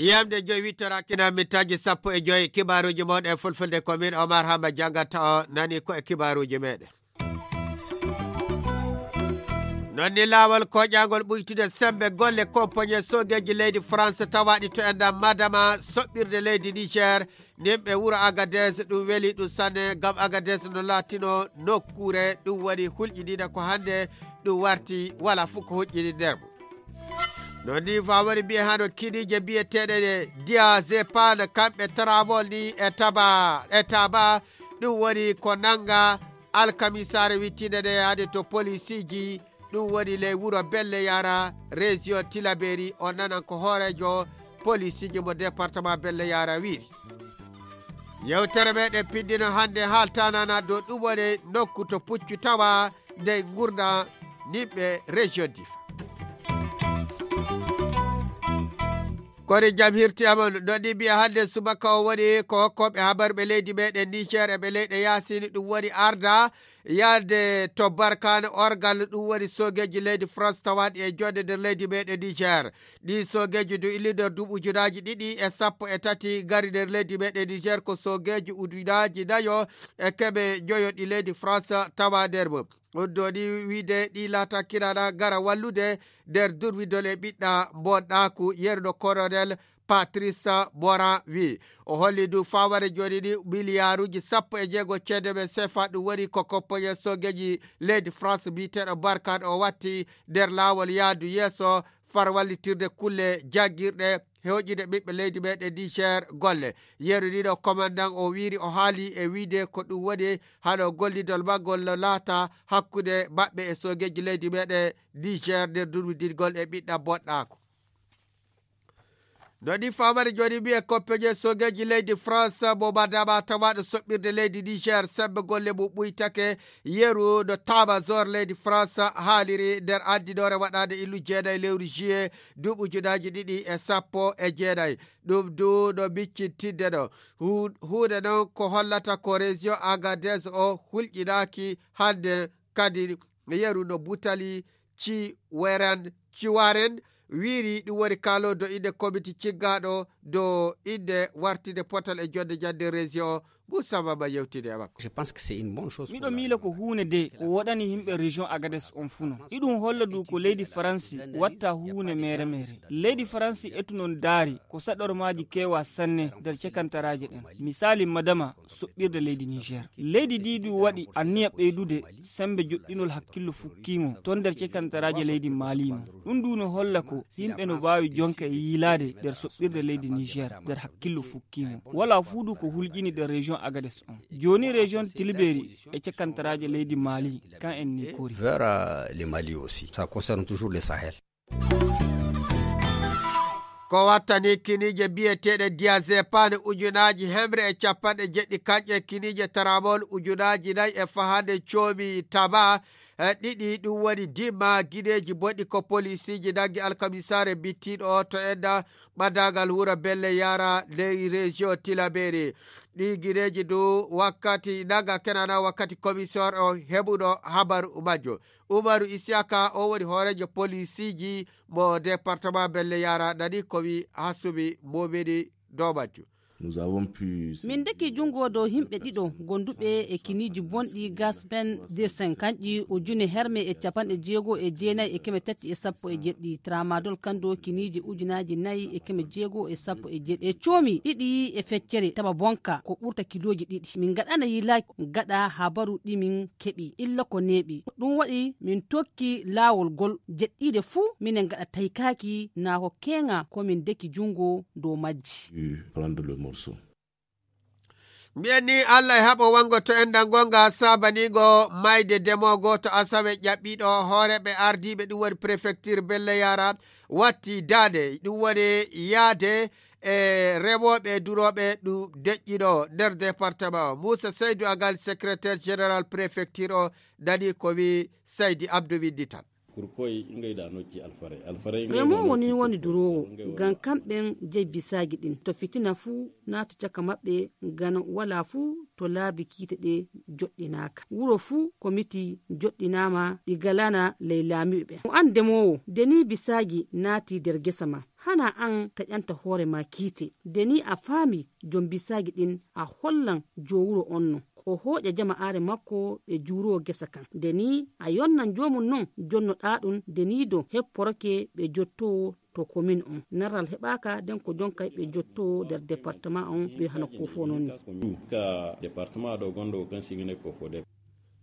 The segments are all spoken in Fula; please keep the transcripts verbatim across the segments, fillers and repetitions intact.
Yamde joyi wittoraakina mittaaji sappo e joyi kibaaruuji mon e fulfulde ko min Omar Hamba janngata o nani ko e kibaaruuji meɗen. Non ni laawol koƴaangol ɓuytude sembe golle kompoñe soogeeji leydi France tawaaɗi to enɗam Madama soɓɓirde leydi Niger, nimɓe wuro Agadez ɗum weli ɗum sanne ngam Agadez no laatino nokkuure ɗum woni hulƴiniiɗe ko hannde ɗum warti wala fof ko hoƴƴini nder mum. No ni fawori mbiye hano kidiije mbiyeteeɗe ɗe diazepam kamɓe travol ni e taba e taba ɗum woni ko nanga alkamisaare wittinde nde yaade to polisiiji ɗum woni ley wuro belle yara région tilaberi o nanan ko hoorejo polisiiji mo département belle yara wiiri. Yewtere meɗen piddino hannde haaltanana dow ɗum woni nokku to puccu tawa nde ngurda nimɓe région difa. Kori jam hirti amon no ɗi mbiya hannde subaka o woni ko hokkoɓe habarɓe leydi meɗen niger e ɓe leyɗe yasini ɗum woni arda yahde to barkane orgal ɗum woni soogeeji leydi france tawaɗi e jooɗe nder leydi meɗen niger. Ɗi soogeeji du illi nder duuɓi ujunaaji ɗiɗi e sappo e tati ngari nder leydi meɗen niger ko soogeeji ujunaaji nayo e keɓe joyo ɗi leydi france tawa nder mum. Ɗum ɗo ni wiide ɗi laata kiraɗa ngara wallude nder durwidol e ɓiɗɗa mbonɗaaku yerno colonel patrice morin wi o holli ndu faware joni ni miliyaaruuji sappo e jeego ceede men sefa ɗum woni ko kompoñe soogeeji leydi france mbiyeteeɗo barkan o watti nder laawol yaadu yeeso far wallitirde kulle jaggirɗe hewƴude ɓiɓɓe leydi meɗen niger golle. Yeru ɗiɗo commandant o wiiri o haali e wiide ko ɗum woni hano gollidol maggol no laata hakkunde maɓɓe e soogeeji leydi meɗen niger nder durwidingol e ɓiɗɗa boɗɗaako. No ɗi famari joni mbiye koppeje soogeeji leydi france mo madama tawaɗo soɓɓirde leydi niger sembe golle mum ɓuytake yeru no tamazor leydi france haaliri nder andinore waɗande illu jeenayi lewru juillet duuɓi ujunaaji ɗiɗi e sappo e jeenayi. Ɗum du no miccintinde ɗo huunde noon ko hollata ko région agadez o hulƴinaaki hannde kadi yeru no butali ci weren ci waren wiiri ɗum woni kaalo do innde komiti ciggaaɗo do innde wartinde potal e jonnde jannde région. Moussa Baba yewtini e makko. Je pense que c'est une bonne chose. Miɗo miila ko huunde de ko woɗani yimɓe région Agadez on funo. Iɗum holla du ko leydi Faransi watta huunde mere mere. Leydi Faransi etu non daari ko saɗormaaji kewa sanne nder cekantaraaje ɗen. Misaali madama soɓɓirde leydi Niger. Leydi ndi du waɗi anniya ɓeydude sembe joɗɗinol hakkillo fukkiimo ton nder cekantaraaje leydi Mali mo. Ɗum du no holla ko yimɓe no mbaawi jonka e yiilaade nder soɓɓirde leydi Niger nder hakkillo fukkiimo. Wala fuu du ko hulƴini nder région Agadez on. Jooni région Tilberi e cekantaraaje leydi Mali kan en ni kori. Vers euh, le Mali aussi. Ça concerne toujours le Sahel. Ko wattani kiniije biyeteeɗe diazepane ujunaaji hemre e capanɗe jeɗɗi kanƴe kiniije taramol ujunaaji nayi e fahande coomi taba e ɗiɗi ɗum woni dimma gineeji boɗɗi ko polisiiji naggi alkamisaare bittiiɗo o to enna ɓadagal wuro belle yara ley région tilaberi. Ɗi gineeji du wakkati naga kenana wakkati commissaire o heɓuɗo habaru majjo. Umaru Isiyaka o woni hooreejo polisiiji mo département belle yara nani ko wi hasumi momini dow majju. Nous avons pu min deki junngo dow yimɓe ɗiɗo gonduɓe e kiniiji bonɗi gaspen desen kanƴi ujune herme e capanɗe jeego e jeenayi e keme tati e sappo e jeɗɗi tramadol kando kiniiji ujunaaji nayi e keme jeego e sappo e jeɗɗi e coomi ɗiɗi e feccere taba bonka ko ɓurta kilooji ɗiɗi min ngaɗana yilaaki gaɗa habaru ɗi min keɓi illa ko neeɓi ɗum waɗi min tokki laawol gol jeɗɗiiɗe fuu minen ngaɗa taykaaki naa ko keeŋa ko min deki junngo dow majji. Prendre le morceau. Mbiyen ni allah e haɓo wanngo to enɗan ngonga saabaniigo mayde demoogo to asawe ƴaɓɓiiɗo hooreeɓe ardiiɓe ɗum woni préfecture belle yara watti daande ɗum woni yaade e rewooɓe durooɓe ɗum deƴƴiɗo nder département o moussa saydou agal secrétaire général préfecture o nani ko wi saydi abdou windital. Kurkoy ingay da no ci alfaray alfaray ingay da no ci kurkoy. Remo woni woni durowo. Ngam kamɓen jey bisaaji ɗin to fitina fuu naatu caka maɓɓe. Ngam walaa fuu to laabi kiite ɗe joɗɗinaaka wuro fuu komiti joɗɗinaama ɗi galana ley laamiiɓe ɓen mo an demoowo de ni bisaaji naati nder gesa ma. Hanaa an taƴanta hoore maa kiite de ni a faami jom bisaaji ɗin a hollan joowuro on non ko hooƴa jama'aare makko ɓe juuroo gesa kan de ni a yonnan joomum non jonnoɗaa ɗum de ni do hepporoke ɓe jottoo to komin on naral heɓaaka nden ko jonkay ɓe jottoo nder departement on ɓe hano ko fof non ni. Ka departement ɗo gonɗo o kan sigine ko fof de.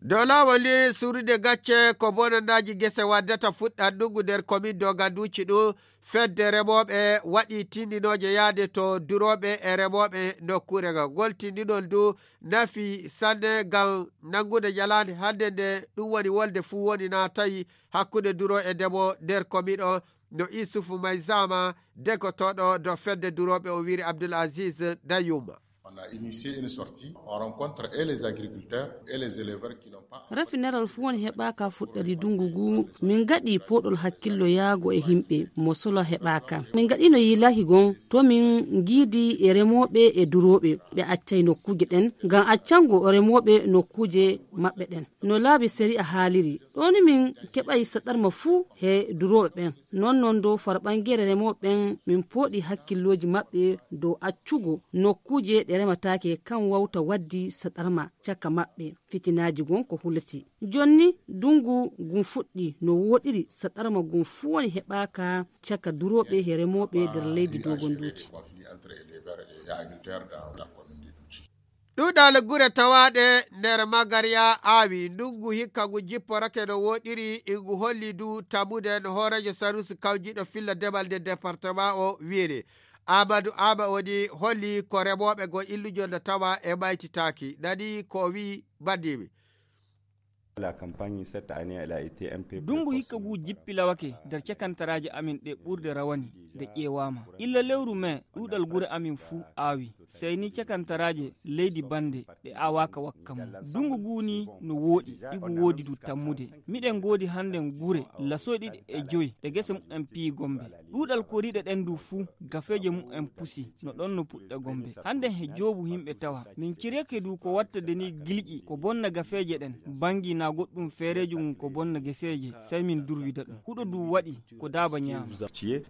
Dow laawol ni surude gacce ko bonannaaji gese waddata fuɗɗa ndungu nder komin doga duuci ɗum. Fedde remooɓe waɗi tinndinooje yahde to durooɓe e remooɓe nokkuure ngal ngol tinndinol ndu nafi sanne ngam nanngude ñalaande hannde nde ɗum woni wolde fuu woni na tawi hakkunde duro e ndemo nder komin o. No isufu may zama degotooɗo dow fedde durooɓe o wiri abdul aziz dayuma. On a initié une sortie on rencontre et les agriculteurs et les éleveurs qui n'ont pas. Rafi neral fuu woni heɓaaka fuɗɗadi dungu ngu min ngaɗi pooɗol hakkillo yaago e himɓe mo solo heɓaaka min ngaɗino yiilaki gon to min ngiidi e remooɓe e durooɓe ɓe accay nokkuuje ɗen ngam accango remooɓe nokkuuje maɓɓe ɗen. No laabi sari'a haaliri ɗoni min keɓay saɗarma fuu he durooɓe ɓen. Non non dow farɓangeere remooɓe ɓen min pooɗi hakkillooji maɓɓe dow accugo nokkuuje ɗe remataake kan wawta waddi saɗarma caka maɓɓe. Fitinaaji gon ko hulati jonni ndungu ngun fuɗɗi no wooɗiri saɗarma ngun fuu woni heɓaaka caka durooɓe he remooɓe nder leydi dogonduuji. Ɗuuɗal gure tawaaɗe nder magariya aawi ndungu hikka ngu jipporake no wooɗiri ngu holli ndu tammude no hooreejo sarusi kawjiiɗo filla demal nde departement o wiiri. Amadou ama woni holli ko remooɓe go illujo no tawa e maytitaaki nani ko o wii bandiimi. Ndungu hikka ngu jippilawake nder cakantaraaje amin ɗe ɓurde rawani nde ƴeewaama illa lewru mee ɗuuɗal gure amin fuu aawi. Sey ni cakantaraaje leydi bannde ɗe aawaaka wakka mum. Ndungu ngu ni no wooɗi igu woodi du tammude. Miɗen ngoodi hannden gure lasoy ɗiɗi e joy ɗe gese mumen piyi gombe. Ɗuuɗal koriiɗe ɗen du fuu gafeeje mumen pusi no ɗon no puɗɗe gombe. Hannden he joobu himɓe tawa min cireke du ko watta de ni gilƴi ko bonna gafeeje ɗen. Banngi na goɗɗum feereejo mum ko bonna geseeje sey min durwida ɗum huɗo du waɗi ko daaba ñaama.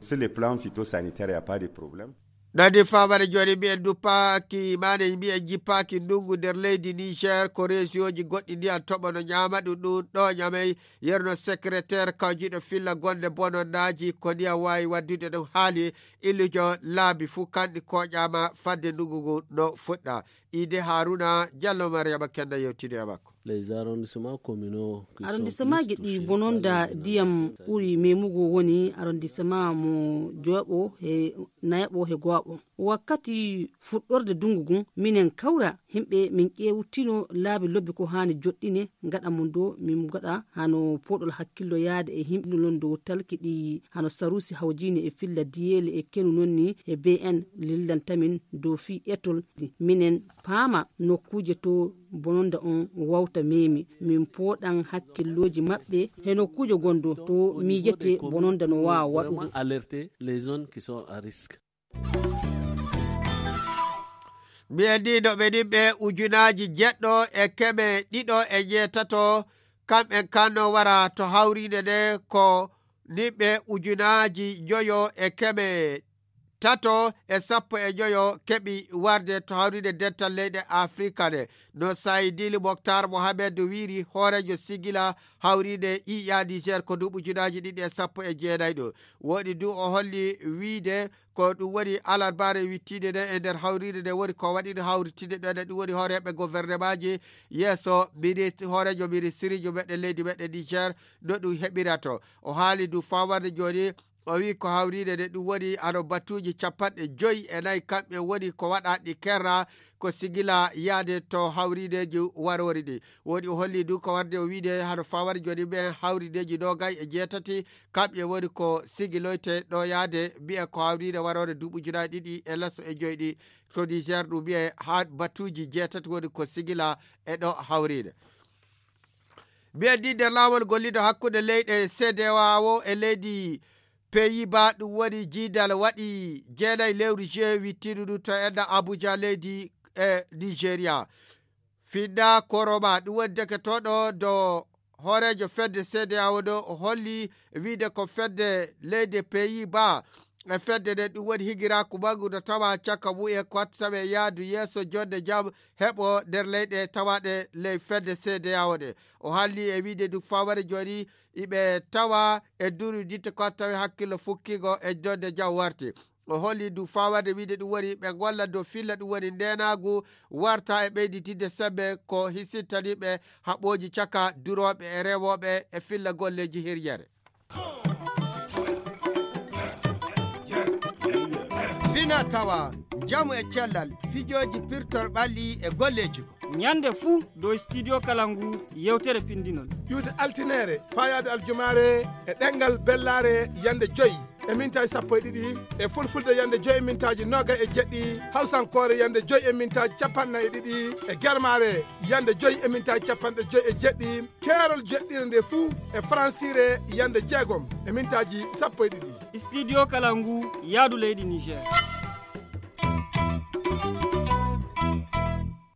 Sur les plans phytosanitaires y a pas de problème. Nadi famare joni mbiyen duppaaki mane mbiyen jippaaki ndungu nder leydi niger ko reesiyoji goɗɗi ndiyan toɓo no ñaama ɗum ɗum ɗo ñamey. Yerno secrétaire kawjiɗo filla gonde bononnaaji ko ndiyan waawi waddude ɗum haali illujo laabi fuu kanɗi koƴaama fadde ndungu ngu no fuɗɗa. Ide haruna jallo mariyama kenda yewtidi e makko. Les arrondissements communaux qui sont arrondissements ji ɗi bononda ndiyam ɓuri memugo woni arrondissement mo joɓo he nayaɓo he go'aɓo. Wakkati fuɗɗorde dungu ngun minen kawra himɓe min ƴewtino laabi lobbi ko hani joɗɗine gaɗa mum do min gaɗa hano poɗol hakkillo yaade e himɓe non dow talki ɗi hano sarusi hawjini e filla diyeli e kenu nonni e bn lillantamin dow fi etol minen paama nokkuje to bononda on wawta memi min poɗan hakkilloji maɓɓe he nokkuje gondo to miijete bononda no wawa waɗugo. Alerter les zones qui sont à risque. Mbiyen ni no ɓe nimɓe ujunaji jeɗɗo e keme ɗiɗo e jeetato kamɓen kanno wara to hawrinde nde ko nimɓe ujunaji joyo e keme tato e sappo e joyo keɓi warde to hawrinde dental leyɗe afrika nde. No sayi dili moktar mohamed wiri hoorejo sigila hawrinde iiya niger ko duuɓi ujunaji ɗiɗi e sappo e jeenayi ɗo. Woɗi du o holli wiide ko ɗum woni alarbaare wittiinde nde e nder hawriinde nde woni ko waɗino hawritinde ɗo ene ɗum woni hooreeɓe gouvernement ji yeeso minit hooreejo ministiriji meɗen leydi meɗen niger. No ɗum heɓirata o haali du fawarde jooni o wi ko hawriinde nde ɗum woni hano batuuji capanɗe joyi e nayi kamɓe woni ko waɗaɗi kerra ko sigila yaade to hawriideji waroori ɗi. Woni o holli du ko warde o wiide hano fawar joni ɓe hawriideji nogay e jeetati kamɓe woni ko sigiloyte ɗo yaade mbiya ko hawriide waroore duuɓi ujunaji ɗiɗi e leso e joyi ɗi. To niger ɗum mbiya ha batuuji jeetati woni ko sigila e ɗo hawriide. Mbiyen ni nder laawol gollido hakkunde leyɗe C D A O e leydi Pays-Bas, ɗum woni jiidal waɗi jeenayi lewru juin wittidu ndu to enna Abuja leydi e Nigeria. Finna Koroma ɗum woni deketooɗo do hooreejo fedde C D A O ɗo o holli wiide ko fedde leyde Pays-Bas e fedde nden ɗum woni higiraaku manngu no tawa caka mu'en ko watta tawe yaadu yeeso jonde jam heɓo nder leyɗe tawaɗe ley fedde C D A O ɗe. O halli e wiide ndu faware jooni iɓe tawa e nduru ditte ko watta tawe hakkillo fukkigo e jonde jam warti. O holli ndu fawade wiide ɗum woni ɓe golla dow filla ɗum woni ndenaagu warta e ɓeyditinde sembe ko hisintaniɓe haɓooji caka durooɓe e rewooɓe e filla golleeji hiryere. Fina tawa, njamu e cellal, fijooji pirtor ɓalli e golleeji. Ñande fuu dow Studio Kalangu yewtere pinndinol. Ƴuwde altineere, faayaade aljumaare e ɗemngal bellaare yande joy e mintaaji sappo e ɗiɗi, e fulfulde yande joy e mintaaji nooga e jeɗɗi, hawsankoore yande joy e mintaaji capanɗe nayi e ɗiɗi, e germaare yande joy e mintaaji capanɗe joy e jeɗɗi, keerol jeɗɗire nde fuu e faransiire yande jeegom e mintaaji sappo e ɗiɗi. Studio Kalangu, yaadu leydi Niger.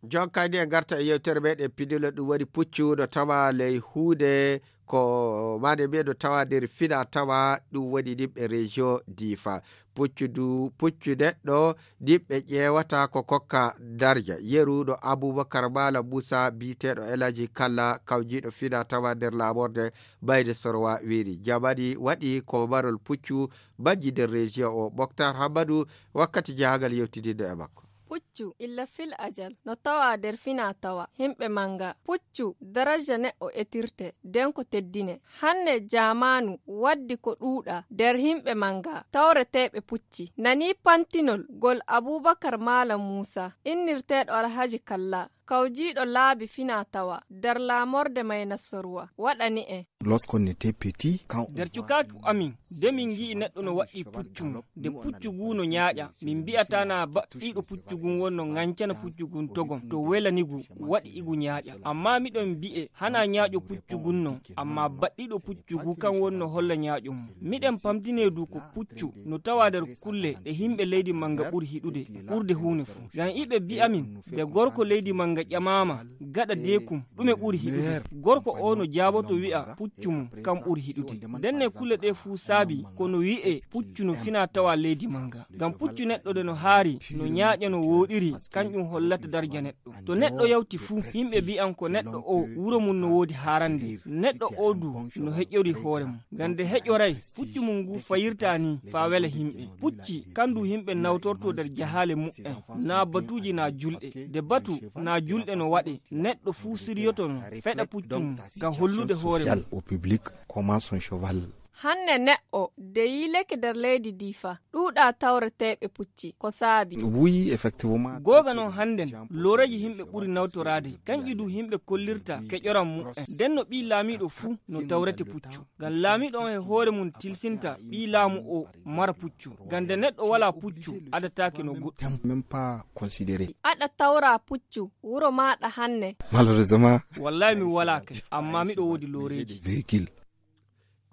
Jonkayni e ngarta e yewtere meɗen pidilo ɗum woni puccu no tawa ley huunde ko mane mbiye no tawa nder fina tawa ɗum woni nimɓe région difa. Puccu du puccu neɗɗo nimɓe ƴeewata ko kokka darja yeru no Abubakar Malam Musa biyeteeɗo Elaji Kalla kawjiiɗo fina tawa nder laamorde bayde sorwa wiiri jamani waɗi ko marol puccu majji nder région o. Moktar Hammadu wakkati jahangal yewtidinno e makko. Puccu illa fil ajal no tawa nder fina tawa himɓe manga. Puccu daraja neɗɗo etirte den ko teddine. Hannde jamaanu waddi ko ɗuuɗa nder himɓe manga tawreteeɓe pucci. Nani pantinol gol Abubakar Malam Muusa innirteeɗo Alhaji Kalla kawjiiɗo laabi fina tawa nder laamorde Maynasorwa waɗani en. Lorsqu'on était petit, quand on nder cukaaku amin de min ngi'i neɗɗo no waɗɗi puccu mum de puccu ngu no ñaaƴa min mbi'ata na baɗɗiiɗo puccu ngun wonno ŋancana puccu ngun togom to welani ngu waɗi igu ñaaƴa. Amma miɗon mbi'e hana ñaaƴo puccu ngun non amma baɗɗiiɗo puccu ngu kan wonno holla ñaaƴo mum. Miɗen pamtine du ko puccu no tawa nder kulle ɗe himɓe leydi manga ɓuri hiɗude ɓurde huune fuu. Ngam iɓe mbi'a min de gorko leydi manga ƴamaama gaɗa deekum ɗume ɓuri hiɗude gorko o no jaaboto wi'a puccu mum kam ɓuri hiɗude. Ndenne kulle ɗe fuu saabi kono wi'e puccu no fina tawa leydi manga ngam puccu neɗɗo de no haari no ñaaƴa no wooɗiri kanƴum hollata darja neɗɗo. To neɗɗo yawti fuu yimɓe mbi'an ko neɗɗo o wuro mum no woodi haarande neɗɗo o du no heƴori hoore mum ngam nde heƴoray puccu mum ngu fayirta ni faa wela yimɓe. Pucci kan du yimɓe nawtorto nder jahaale mu'en naa batuuji naa julɗe. Nde batu naa julɗe no waɗe neɗɗo fuu siryoto no feɗa puccu mum ngam hollude hoore mum. Au public comment son cheval. Hannde neɗɗo de yiileke nder leydi difa ɗuuɗa tawreteeɓe pucci ko saabi. Oui, effectivement. Googa noon hannden looreeji yimɓe ɓuri nawtoraade kanƴi du yimɓe kollirta keƴoram mu'en. Nden no ɓii laamiiɗo fuu no tawrete puccu ngam laamiiɗo on e hoore mum tilsinta ɓii laamu o mara puccu ngam nde neɗɗo walaa puccu adataake no goɗɗum. Même pas considéré. Aɗa tawra puccu wuro maaɗa hanne. Malheureusement. Wallahi mi walaa kay amma miɗo woodi looreeji. Véhicule.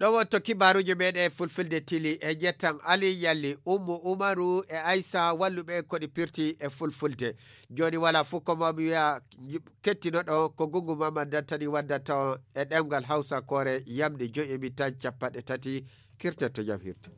Ɗo wonto kibaaruuji meɗen e fulfulde tili e njettan Ali Yalli, Ummu Umaru e Aysa walluɓe en koɗi pirti e fulfulde. Jooni walaa fof ko mami wiya kettinoɗo ko Gungu Mama Dantani waddata on e ɗemngal Hawsa koore yamde joyi e mintaji capanɗe tati kirtetto jam hirde.